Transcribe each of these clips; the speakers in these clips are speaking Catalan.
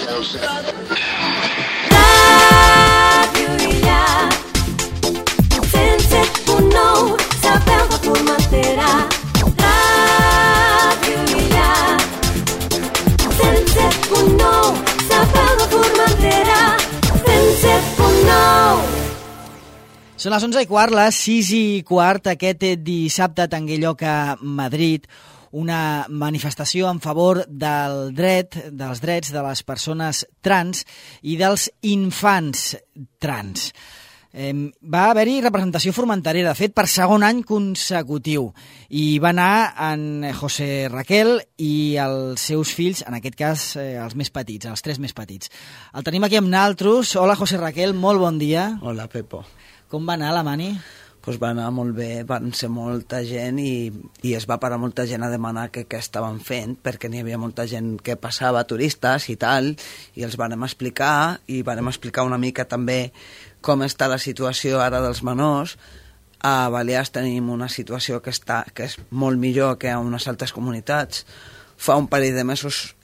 Ràdio Illa 107.9, Sa Veu de Formentera. Ràdio Illa 107.9, Sa Veu de Formentera. 107.9. Són les 11:15, les 6:15, aquest dissabte tengué lloc a Madrid una manifestació en favor dels drets de les persones trans i dels infants trans. Va haver-hi representació formenterera, de fet, per segon any consecutiu. I va anar en José Raquel i els seus fills, en aquest cas els més petits, els 3 més petits. El tenim aquí amb naltros. Hola, José Raquel, molt bon dia. Hola, Pepo. Com va anar la mani? Pues va anar molt bé, van ser molta gent i es va parar molta gent a demanar què estaven fent, perquè n'hi havia molta gent que passava, turistes i tal, i els vàrem explicar, i vàrem explicar una mica també com està la situació ara dels menors. A Balears tenim una situació que és molt millor que a unes altres comunitats. Fa un parell de mesos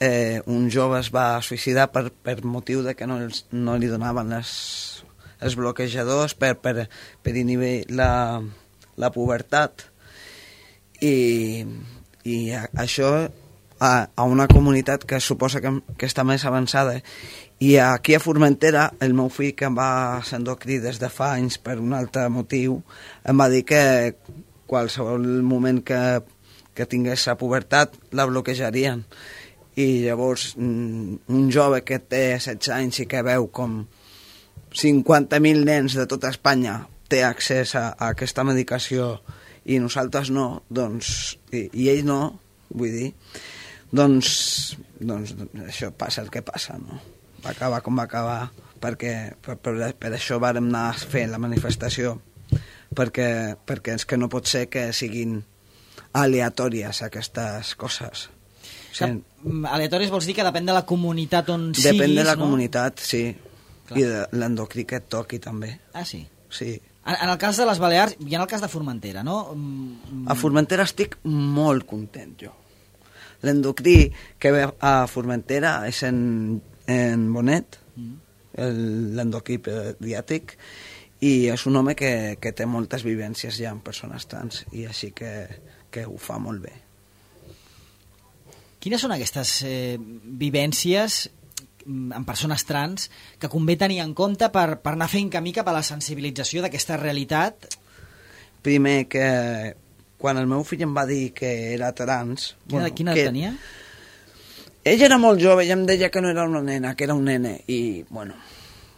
un jove es va suïcidar per motiu de que no li donaven els bloquejadors per inhibir la pubertat, i això a una comunitat que suposa que està més avançada. I aquí a Formentera el meu fill, que em va ser endocrí des de fa anys per un altre motiu, em va dir que qualsevol moment que tingués la pubertat la bloquejarien. I llavors un jove que té 16 anys i que veu com 50.000 nens de tota Espanya té accés a aquesta medicació i nosaltres no, doncs, i ell no, vull dir, doncs això passa el que passa, no? Va acabar com va acabar, perquè per això vàrem anar a fer la manifestació, perquè és que no pot ser que siguin aleatòries aquestes coses. Aleatòries vols dir que depèn de la comunitat on siguis, no? Depèn de la comunitat, sí. Clar. I de l'endocrí que et toqui també. Ah, sí? Sí. En el cas de les Balears i en el cas de Formentera, no? A Formentera estic molt content, jo. L'endocrí que ve a Formentera és en Bonet, l'endocrí pediàtric, i és un home que té moltes vivències ja amb persones trans, i així que ho fa molt bé. Quines són aquestes vivències en persones trans que convé tenir en compte per anar fent camí cap a la sensibilització d'aquesta realitat? Primer, que quan el meu fill em va dir que era trans... Quina edat tenia? Ell era molt jove i em deia que no era una nena, que era un nene. I, bueno,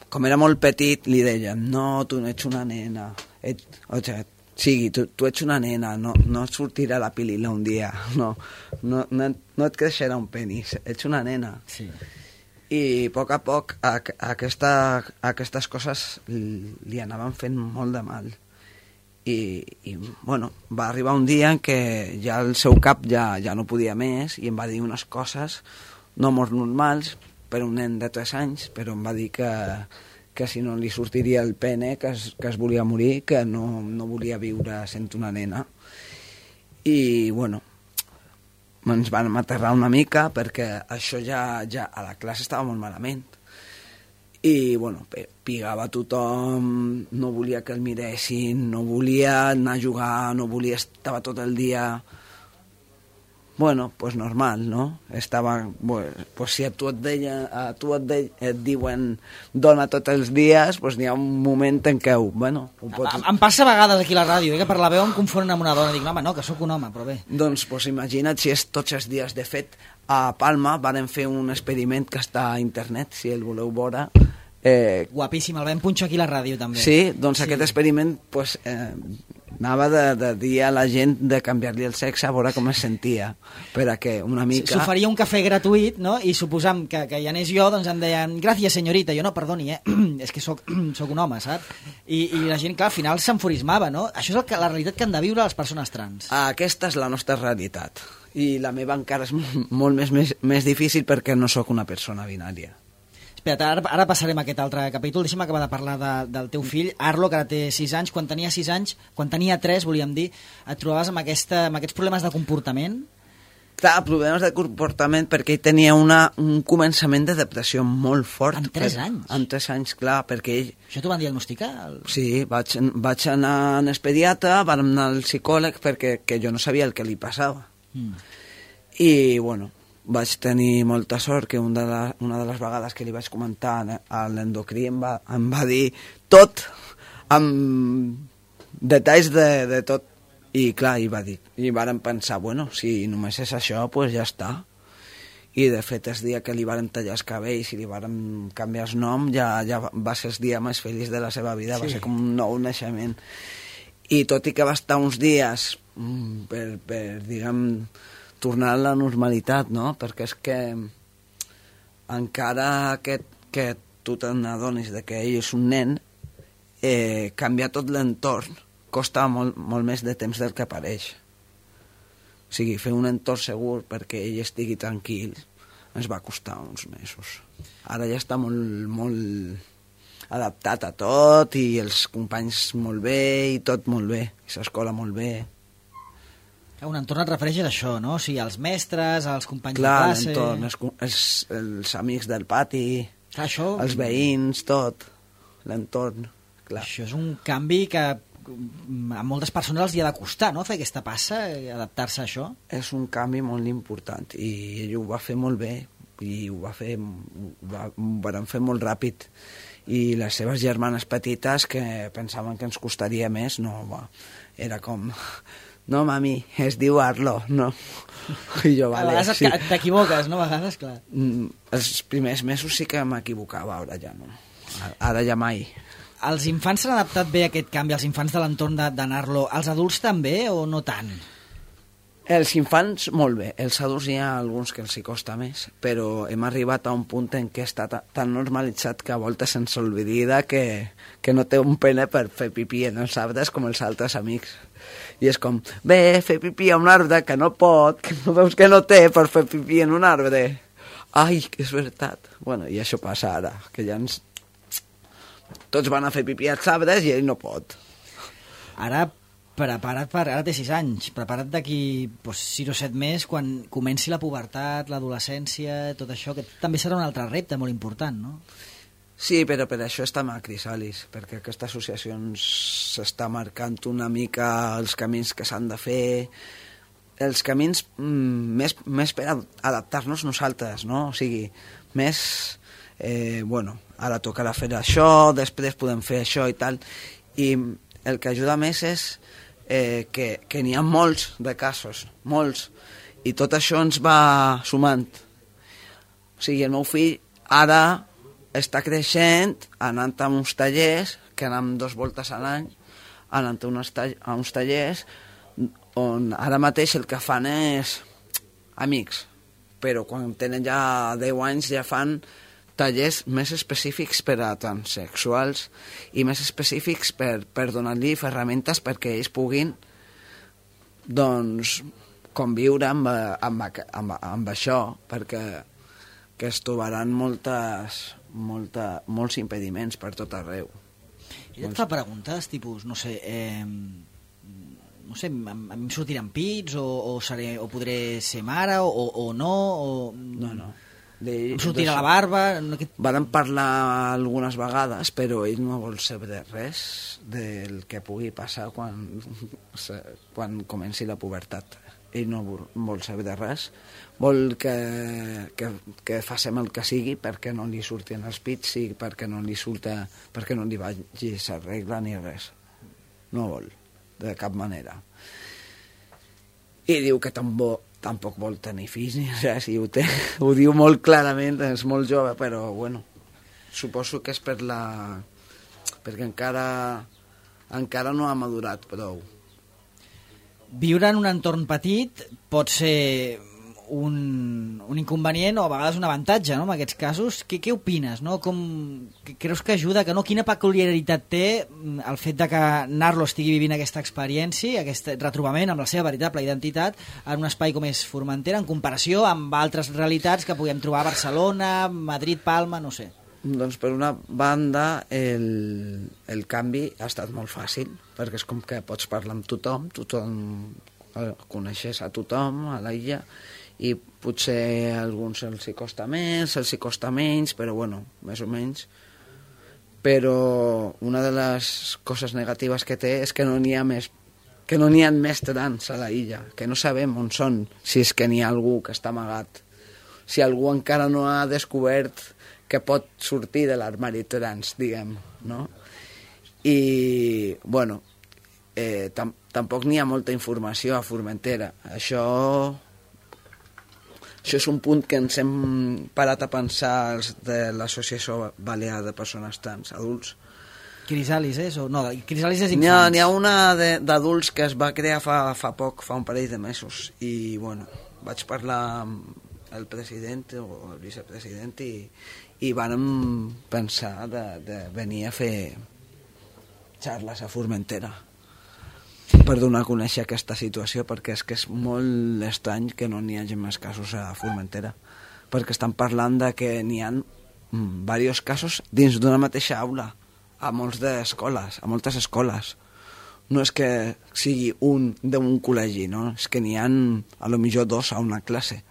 com era molt petit, li deien, no, tu no ets una nena. Sí, tu ets una nena, no et sortirà la pilila un dia, no et creixerà un penis, ets una nena. Sí. I a poc aquestes coses li anaven fent molt de mal. I bueno, va arribar un dia en què ja el seu cap ja no podia més i em va dir unes coses no molt normals per un nen de 3 anys, però em va dir que si no li sortiria el pene, que es volia morir, que no volia viure sent una nena. I bueno, ens van aterrar una mica perquè això ja a la classe estava molt malament. I bueno, pigava a tothom, no volia que el miressin, no volia anar a jugar, estava tot el dia... Bueno, pues normal, no? Estava... Pues si a tu et diuen dona tots els dies, pues n'hi ha un moment en què... Bueno, em passa a vegades aquí a la ràdio, que per la veu em confonen amb una dona. Dic, home, no, que sóc un home, però bé. Doncs pues imagina't si és tots els dies. De fet, a Palma varen fer un experiment que està a internet, si el voleu veure. Guapíssim, el vam punxar aquí a la ràdio també. Sí, doncs aquest experiment pues, anava de dir a la gent de canviar-li el sexe a veure com es sentia, per a que una mica... S'oferia un cafè gratuït, no? I suposam que hi anés jo, doncs em deien gràcies senyorita, jo no, perdoni, és que sóc un home, saps? I la gent, clar, al final s'enfurismava, no? Això és la realitat que han de viure les persones trans. Aquesta és la nostra realitat, i la meva encara és molt més difícil perquè no sóc una persona binària. Espera't, ara passarem a aquest altre capítol. Deixa'm acabar de parlar del teu fill, Arlo, que ara té 6 anys. Quan tenia 6 anys, quan tenia 3, volíem dir, et trobaves amb aquests problemes de comportament? Clar, problemes de comportament perquè ell tenia un començament de depressió molt fort. Amb 3 anys? Amb 3 anys, clar, perquè ell... Això t'ho van diagnosticar? Sí, vaig anar al pediatre, vam anar al psicòleg perquè jo no sabia el que li passava. I, bueno, vaig tenir molta sort que una de les vegades que li vaig comentar a l'endocrí em va dir tot, amb detalls de tot. I clar, i vàrem pensar, bueno, si només és això, pues ja està. I de fet, el dia que li vàrem tallar els cabells i li vàrem canviar el nom, ja va ser el dia més feliç de la seva vida, sí. Va ser com un nou naixement. I tot i que va estar uns dies per diguem, tornar a la normalitat, no? Perquè és que encara que tu te n'adonis que ell és un nen, canviar tot l'entorn costa molt més de temps del que pareix. O sigui, fer un entorn segur perquè ell estigui tranquil ens va costar uns mesos. Ara ja està molt adaptat a tot i els companys molt bé i tot molt bé, i l'escola molt bé. Un entorn et refereixes a això, no? O sigui, als mestres, als companys de classe... Clar, l'entorn, els amics del pati, clar, això... els veïns, tot, l'entorn, clar. Això és un canvi que a moltes persones els hi ha de costar, no?, fer aquesta passa, adaptar-se a això. És un canvi molt important i ell ho va fer molt bé i ho van fer molt ràpid. I les seves germanes petites, que pensaven que ens costaria més, no, era com... No, mami, es diu Arlo, no. I jo, vale, a vegades sí. T'equivoques, no? A vegades, clar. Els primers mesos sí que m'equivocava, ara ja no. Ara ja mai. Els infants s'han adaptat bé a aquest canvi, els infants de l'entorn de Narlo. Els adults també o no tant? Els infants molt bé, els adults hi ha alguns que els hi costa més, però hem arribat a un punt en què està tan normalitzat que a voltes se'ns oblida que no té un pene per fer pipí en els arbres com els altres amics. I és com, bé, fer pipí a un arbre que no pot, que no veus que no té per fer pipí en un arbre. Ai, que és veritat. Bueno, i això passa ara, que ja ens... Tots van a fer pipí als arbres i ell no pot. Ara, ara té 6 anys, prepara't d'aquí 6 o 7 més, quan comenci la pubertat, l'adolescència, tot això, que també serà un altre repte molt important, no? Sí, però per això estem a Crisalis, perquè aquesta associació s'està marcant una mica els camins que s'han de fer, els camins més per adaptar-nos nosaltres, no? O sigui, més... bueno, ara tocarà fer això, després podem fer això i tal, i el que ajuda més és que n'hi ha molts de casos, molts, i tot això ens va sumant. O sigui, el meu fill ara està creixent, anant a uns tallers, que anem 2 voltes a l'any, anant a uns tallers on ara mateix el que fan és amics, però quan tenen ja 10 anys ja fan tallers més específics per a transsexuals i més específics per donar-li ferramentes perquè ells puguin doncs conviure amb això, perquè que es trobaran molts impediments per tot arreu. I et fa preguntes, tipus, no sé, a mi em sortiran pits o podré ser mare o no? No. Em sortirà la barba... Vàrem parlar algunes vegades, però ell no vol saber res del que pugui passar quan comenci la pubertat. Ell no vol saber de res, vol que facem el que sigui perquè no li surtin els pits i perquè no li vagi la regla ni res. No vol, de cap manera. I diu que tampoc vol tenir fills ni res, i ho diu molt clarament, és molt jove, però bueno, suposo que és perquè encara no ha madurat prou. Viure en un entorn petit pot ser un inconvenient o a vegades un avantatge, no?, en aquests casos. Què opines, no? Creus que ajuda, que no? Quina peculiaritat té el fet de que Narlo estigui vivint aquesta experiència, aquest retrobament amb la seva veritable identitat en un espai com és Formentera, en comparació amb altres realitats que puguem trobar a Barcelona, Madrid, Palma, no sé? Doncs per una banda el canvi ha estat molt fàcil, perquè és com que pots parlar amb tothom coneixes a tothom a l'illa, i potser a alguns els hi costa més, els hi costa menys, però bueno, més o menys. Però una de les coses negatives que té és que no n'hi ha més, que no n'hi ha més trans a la illa, que no sabem on són, si és que n'hi ha algú que està amagat, si algú encara no ha descobert que pot sortir de l'armari trans, diguem, no? I, bueno, tampoc n'hi ha molta informació a Formentera. Això és un punt que ens hem parat a pensar els de l'Associació Balear de Persones Trans, adults. Crisalis és? O no, Crisalis és infants. N'hi ha una d'adults que es va crear fa poc, fa un parell de mesos, i bueno, vaig parlar amb el president o el vicepresident i vàrem pensar de venir a fer xarles a Formentera per donar a conèixer aquesta situació, perquè és que és molt estrany que no n'hi hagi més casos a Formentera, perquè estan parlant de que n'hi ha diversos casos dins d'una mateixa aula a moltes escoles. No és que sigui un d'un col·legi, no? És que n'hi ha a lo millor 2 a una classe.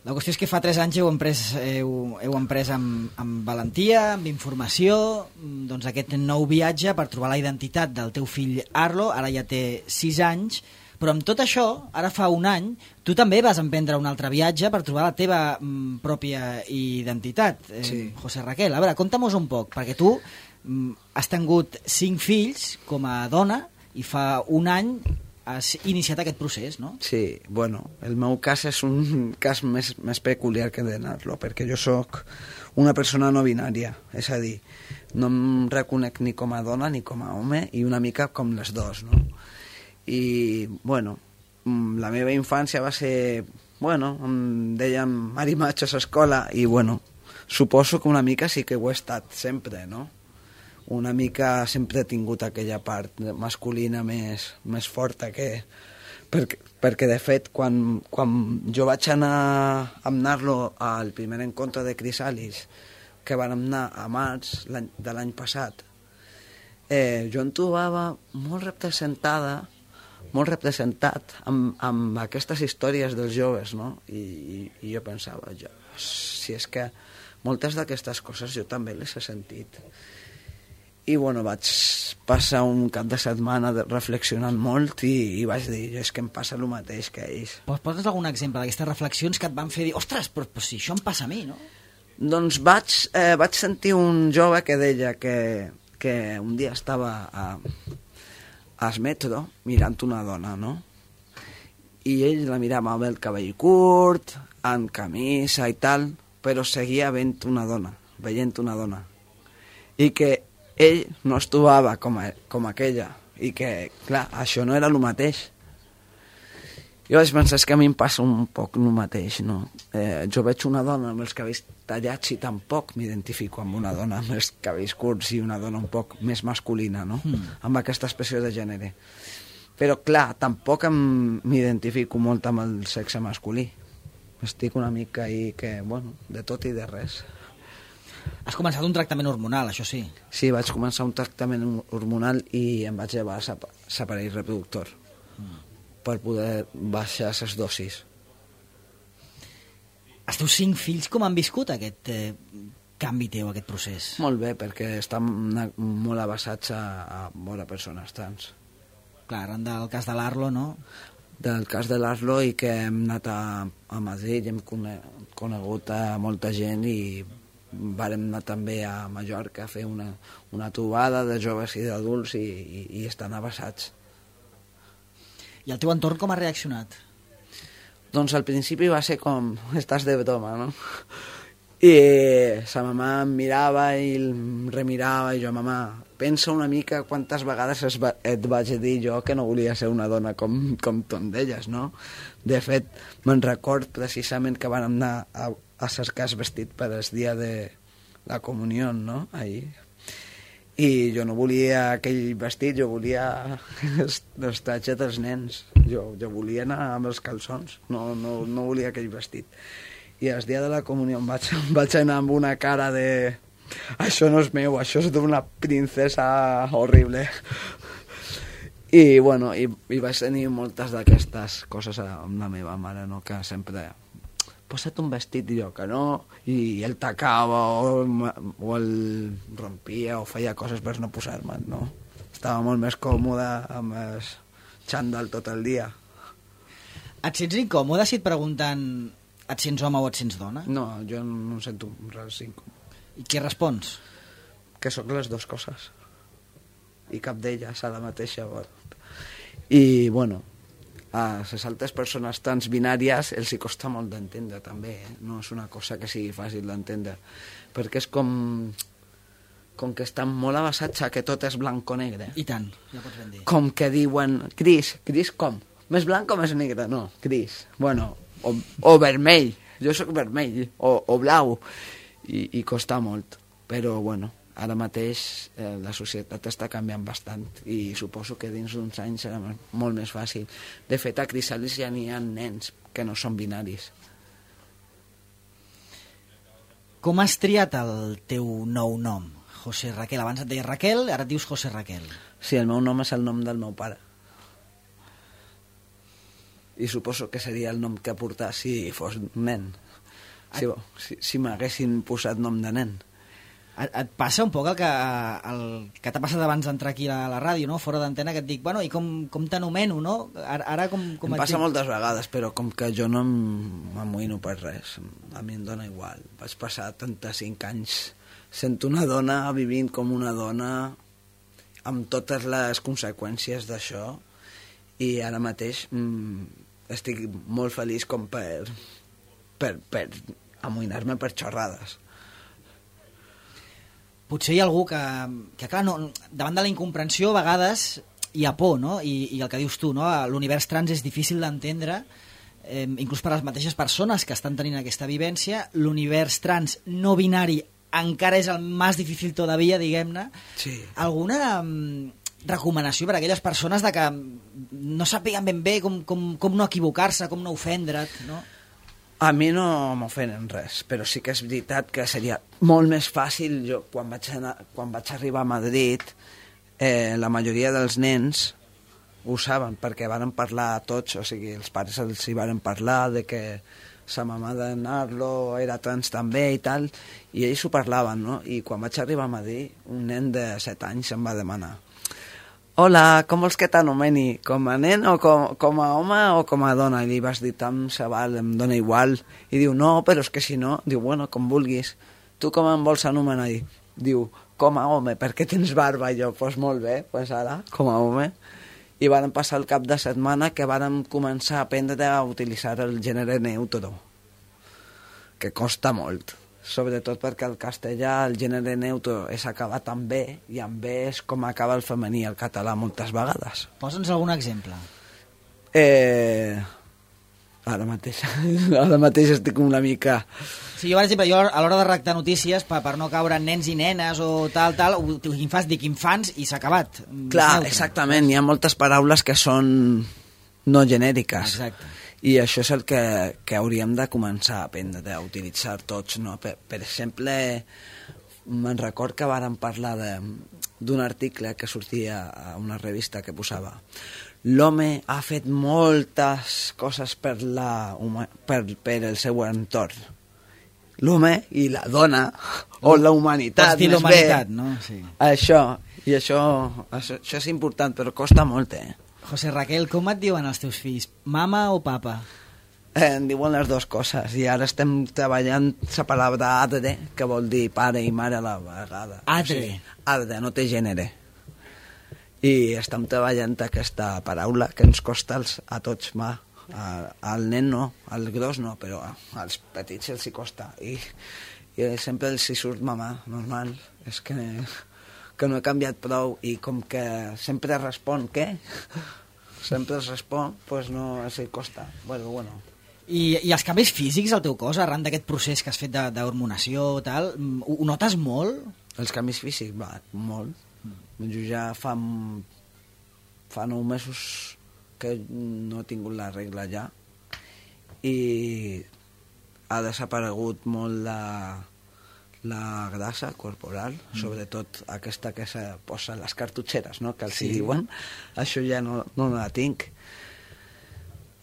La qüestió és que fa 3 anys heu emprès amb valentia, amb informació, doncs aquest nou viatge per trobar la identitat del teu fill Arlo. Ara ja té 6 anys, però amb tot això, ara fa un any, tu també vas emprendre un altre viatge per trobar la teva pròpia identitat, Sí. José Raquel. A veure, conta'm-nos un poc, perquè tu has tingut 5 fills com a dona i fa un any has iniciat aquest procés, no? Sí, bueno, el meu cas és un cas més peculiar que d'anar-lo, perquè jo sóc una persona no binària, és a dir, no em reconec ni com a dona ni com a home, i una mica com les dos, no? I, bueno, la meva infància va ser, bueno, em deien marimatxos a escola, i, bueno, suposo que una mica sí que ho he estat sempre, no? Una mica sempre he tingut aquella part masculina més forta perquè de fet quan jo vaig anar amb Narlo al primer encontre de Crisalis, que van anar a març de l'any passat, jo em trobava molt representat amb aquestes històries dels joves, no? I jo pensava, si és que moltes d'aquestes coses jo també les he sentit. I bueno, vaig passar un cap de setmana reflexionant molt i vaig dir, és que em passa el mateix que ells. Poses algun exemple d'aquestes reflexions que et van fer dir, ostres, però si això em passa a mi, no? Doncs vaig sentir un jove que deia que un dia estava al metro mirant una dona, no? I ell la mirava amb el cabell curt, amb camisa i tal, però seguia veient una dona. I que ell no es trobava com aquella, i que, clar, això no era el mateix. Jo vaig pensar, és que a mi em passa un poc el mateix, no? Jo veig una dona amb els cabells tallats i tampoc m'identifico amb una dona amb els cabells curts i una dona un poc més masculina, no? Amb aquesta expressió de gènere. Però, clar, tampoc m'identifico molt amb el sexe masculí. Estic una mica ahí que, bueno, de tot i de res. Has començat un tractament hormonal, això sí. Sí, vaig començar un tractament hormonal i em vaig llevar l'aparell reproductor per poder baixar les dosis. Els teus 5 fills com han viscut aquest canvi teu, aquest procés? Molt bé, perquè estan molt avançats a veure persones trans. Clar, arran del cas de l'Arlo, no? Del cas de l'Arlo, i que hem anat a Madrid i hem conegut a molta gent, i vàrem anar també a Mallorca a fer una trobada de joves i d'adults i estan avançats. I el teu entorn com ha reaccionat? Doncs al principi va ser com, estàs de broma, no? I sa mamà em mirava i em remirava, i jo, mamà, pensa una mica quantes vegades et vaig dir jo que no volia ser una dona com tu em deies, no? De fet, me'n record precisament que van anar a cercar el vestit per el dia de la comunió, no? Ahir. I jo no volia aquell vestit, jo volia els tratges dels nens. Jo volia anar amb els calçons, no volia aquell vestit. I el dia de la comunió em vaig anar amb una cara de... Això no és meu, això és d'una princesa horrible. I, bueno, i vaig tenir moltes d'aquestes coses amb la meva mare, no? Que sempre posa't un vestit, jo que no, i el tacava o el rompia o feia coses per no posar-me'n, no? Estava molt més còmode amb el xandall tot el dia. Et sents incòmode si et pregunten et sents home o et sents dona? No, jo no em sento res incòmode. I què respons? Que sóc les dues coses. I cap d'elles a la mateixa hora. I, bueno, a les altres persones trans binàries els hi costa molt d'entendre, també. No és una cosa que sigui fàcil d'entendre. Perquè és com que estan molt avançats a que tot és blanc o negre. I tant, ja pots ben dir. Com que diuen, gris com? Més blanc o més negre? No, gris. Bueno, o vermell. Jo sóc vermell. O blau. I costa molt. Però, bueno, ara mateix la societat està canviant bastant i suposo que dins d'uns anys serà molt més fàcil. De fet, a Crisàlis ja n'hi ha nens que no són binaris. Com has triat el teu nou nom, José Raquel? Abans et deia Raquel, ara et dius José Raquel. Sí, el meu nom és el nom del meu pare. I suposo que seria el nom que portà si fos nen. Si m'haguessin posat nom de nen. Et passa un poc el que t'ha passat abans d'entrar aquí a la ràdio, no? Fora d'antena, que et dic, bueno, i com t'anomeno, no? Ara com em passa moltes vegades, però com que jo no m'amoïno per res, a mi em dóna igual. Vaig passar 35 anys sent una dona, vivint com una dona, amb totes les conseqüències d'això, i ara mateix estic molt feliç com per amoïnar-me per xorrades. Potser hi ha algú que clar, no, davant de la incomprensió a vegades hi ha por, no? I el que dius tu, no? L'univers trans és difícil d'entendre, inclús per a les mateixes persones que estan tenint aquesta vivència. L'univers trans no binari encara és el més difícil todavía, diguem-ne. Sí. Alguna recomanació per a aquelles persones de que no sàpiguen ben bé com no equivocar-se, com no ofendre't, no? A mi no m'ofenen res, però sí que és veritat que seria molt més fàcil. Jo, quan vaig arribar a Madrid, la majoria dels nens ho saben, perquè varen parlar tots, o sigui, els pares els hi varen parlar de que sa mamà de Narlo era trans també i tal, i ells ho parlaven, no? I quan vaig arribar a Madrid, un nen de 7 anys em va demanar: hola, com vols que t'anomeni? Com a nen o com a home o com a dona? I li vas dir, tant se val, em dona igual. I diu, no, però és que si no... Diu, bueno, com vulguis. Tu com em vols anomenar? Diu, com a home, perquè tens barba. I jo, doncs molt bé, doncs ara, com a home. I vàrem passar el cap de setmana que vàrem començar a aprendre a utilitzar el gènere neutro, que costa molt. Sobretot perquè el castellà, el gènere neutro, és acabar tan bé, i amb bé és com acaba el femení el català moltes vegades. Posa'ns algun exemple. Ara mateix estic una mica... Sí, jo, per exemple, a l'hora de redactar notícies, per no caure en nens i nenes o tal, dic infants i s'ha acabat. Clar, exactament, hi ha moltes paraules que són no genèriques. Exacte. I això és el que hauríem de començar a aprendre a utilitzar tots, no? Per exemple, me'n record que vàrem parlar d'un article que sortia a una revista que posava: l'home ha fet moltes coses per el seu entorn. L'home i la dona, o la humanitat, pots dir l'humanitat, no? Sí. Això és important, però costa molt, José Raquel, com et diuen els teus fills? Mama o papa? Em diuen les dues coses, i ara estem treballant la paraula adre, que vol dir pare i mare a la vegada. Adre? O sigui, adre, no té gènere. I estem treballant aquesta paraula que ens costa a tots, al nen no, al gros no, però als petits els hi costa. I sempre els hi surt mamà, normal. És que no he canviat prou, i com que sempre respon què? Sempre es respon, doncs no els hi costa. Bueno. I els canvis físics al teu cos, arran d'aquest procés que has fet d'hormonació, tal, ho notes molt? Els canvis físics, molt. Jo ja fa 9 mesos que no he tingut la regla ja, i ha desaparegut molt la grassa corporal, sobretot aquesta que se posa les cartutxeres, no?, que els hi diuen, això ja no la tinc.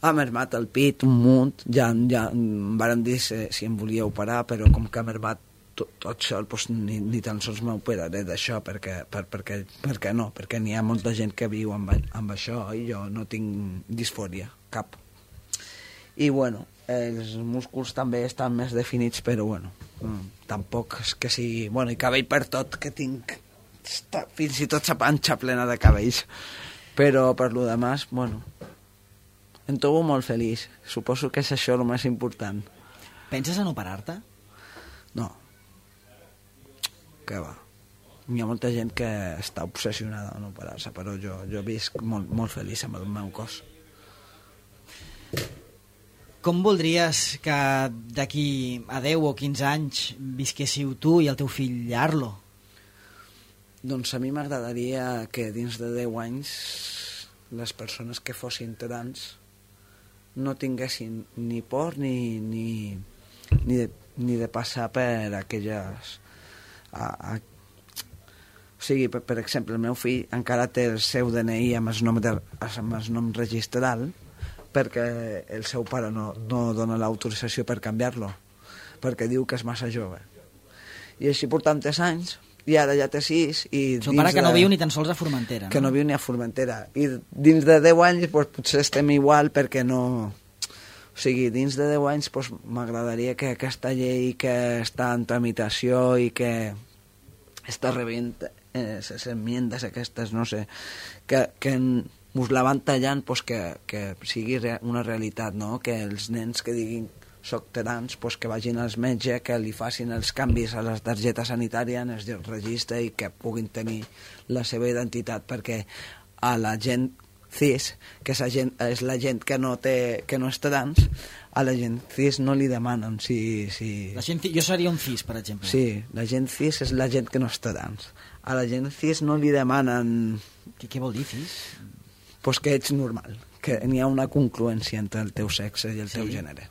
Ha mermat el pit un munt, ja em varen dir si em volia operar, però com que ha mermat tot sol, doncs ni tan sols m'operaré d'això, perquè no, perquè n'hi ha molta gent que viu amb això i jo no tinc disfòria, cap. I bueno, els músculs també estan més definits, però bueno, tampoc és que sigui... Bueno, i cabell per tot, que tinc fins i tot la panxa plena de cabells. Però per lo demás, bueno, em trobo molt feliç. Suposo que és això el més important. Penses en operar-te? No. Que va. Hi ha molta gent que està obsessionada en operar-se, però jo visc molt feliç amb el meu cos. Com voldries que d'aquí a 10 o 15 anys visquéssiu tu i el teu fill Arlo? Doncs a mi m'agradaria que dins de 10 anys les persones que fossin trans no tinguessin ni por ni de passar per aquelles... O sigui, per exemple, el meu fill encara té el seu DNI amb el nom registral, perquè el seu pare no dona l'autorització per canviar-lo, perquè diu que és massa jove. I així portant 3 anys, i ara ja té 6... El seu pare que no viu ni tan sols a Formentera. Que no viu ni a Formentera. I dins de 10 anys doncs, potser estem igual, perquè no... O sigui, dins de 10 anys doncs, m'agradaria que aquesta llei que està en tramitació i que està rebent les enmiendes aquestes, no sé, que us la van tallant, doncs que sigui una realitat, no? Que els nens que diguin soc trans, doncs que vagin als metges, que li facin els canvis a la targeta sanitària, en el registre, i que puguin tenir la seva identitat, perquè a la gent cis, que és la gent que no és trans, a la gent cis no li demanen si... La gent jo seria un cis, per exemple. Sí, la gent cis és la gent que no és trans. A la gent cis no li demanen... Què vol dir cis? Pues que ets normal, que n'hi ha una congruència entre el teu sexe i el teu gènere.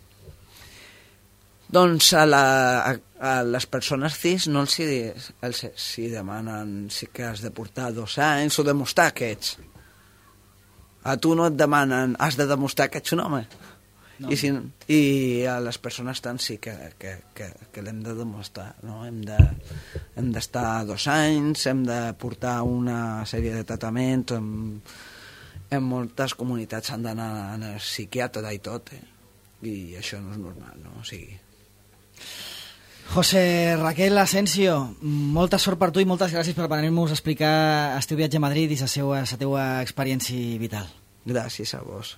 Doncs a les persones cis no els demanen que has de portar 2 anys o demostrar que ets. A tu no et demanen, has de demostrar que ets un home. No. I a les persones trans sí que l'hem de demostrar, no? Hem d'estar 2 anys, hem de portar una sèrie de tractaments, en moltes comunitats s'han d'anar al psiquiatre i tot, i això no és normal, no? O sigui... José Raquel Asensio, molta sort per tu i moltes gràcies per venir-nos a explicar el teu viatge a Madrid i la teua experiència vital. Gràcies a vos.